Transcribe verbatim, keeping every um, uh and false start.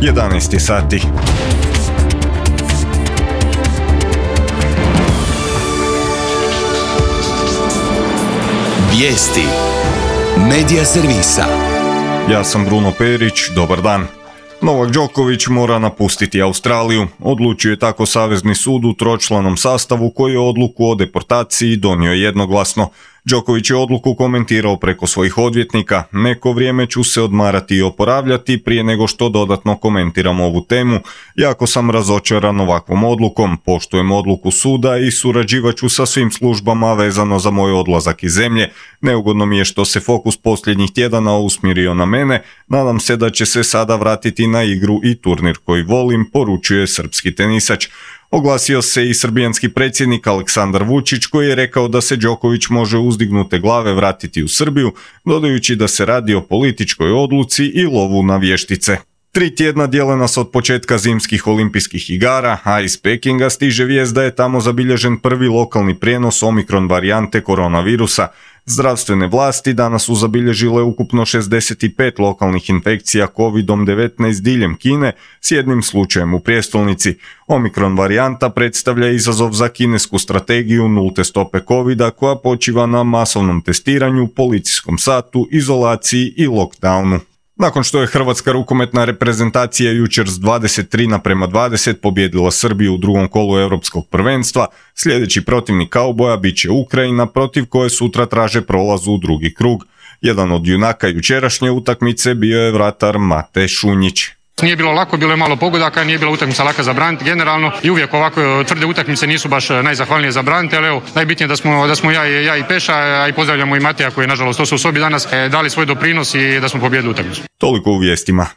jedanaest je sati. Vijesti Medija servisa. Ja sam Bruno Perić, dobar dan. Novak Đoković mora napustiti Australiju. Odlučio je tako Savezni sud u tročlanom sastavu koji je odluku o deportaciji donio jednoglasno. Đoković je odluku komentirao preko svojih odvjetnika. Neko vrijeme ću se odmarati i oporavljati prije nego što dodatno komentiram ovu temu. Jako sam razočaran ovakvom odlukom, poštujem odluku suda i surađivat ću sa svim službama vezano za moj odlazak iz zemlje. Neugodno mi je što se fokus posljednjih tjedana usmjerio na mene. Nadam se da će se sada vratiti na igru i turnir koji volim, poručuje srpski tenisač. Oglasio se i srbijanski predsjednik Aleksandar Vučić koji je rekao da se Đoković može uzdignute glave vratiti u Srbiju, dodajući da se radi o političkoj odluci i lovu na vještice. Tri tjedna dijele nas od početka zimskih olimpijskih igara, a iz Pekinga stiže vijest da je tamo zabilježen prvi lokalni prijenos omikron varijante koronavirusa. Zdravstvene vlasti danas su zabilježile ukupno šezdeset pet lokalnih infekcija kovid devetnaest diljem Kine s jednim slučajem u prijestolnici. Omikron varijanta predstavlja izazov za kinesku strategiju nulte stope covida koja počiva na masovnom testiranju, policijskom satu, izolaciji i lockdownu. Nakon što je hrvatska rukometna reprezentacija jučer s dvadeset tri naprema dvadeset pobijedila Srbiju u drugom kolu europskog prvenstva, sljedeći protivnik kauboja bit će Ukrajina protiv koje sutra traže prolaz u drugi krug. Jedan od junaka jučerašnje utakmice bio je vratar Mate Šunjić. Nije bilo lako, bilo je malo pogodaka, nije bila utakmica laka za braniti generalno i uvijek ovako tvrde utakmice nisu baš najzahvalnije za braniti, ali evo, najbitnije da smo, da smo ja, i, ja i Peša, a i pozdravljamo i Mateja koji je nažalost to su u sobi danas, dali svoj doprinos i da smo pobijedili utakmicu. Toliko u vijestima.